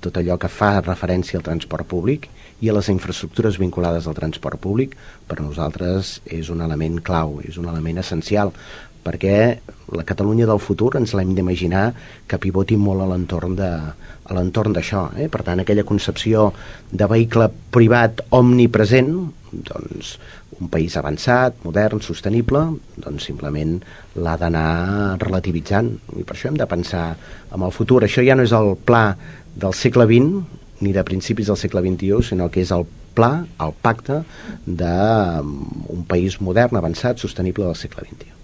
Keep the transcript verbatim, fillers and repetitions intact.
tot allò que fa referència al transport públic i a les infraestructures vinculades al transport públic, per a nosaltres és un element clau, és un element essencial, perquè la Catalunya del futur ens l'hem d'imaginar que pivoti molt a l'entorn de, a l'entorn d'això. Eh? Per tant, aquella concepció de vehicle privat omnipresent, doncs un país avançat, modern, sostenible, doncs simplement l'ha d'anar relativitzant. I per això hem de pensar en el futur. Això ja no és el pla del segle vint, ni de principis del segle vint-i-u, sinó que és el pla, el pacte d'un país modern, avançat, sostenible del segle vint-i-u.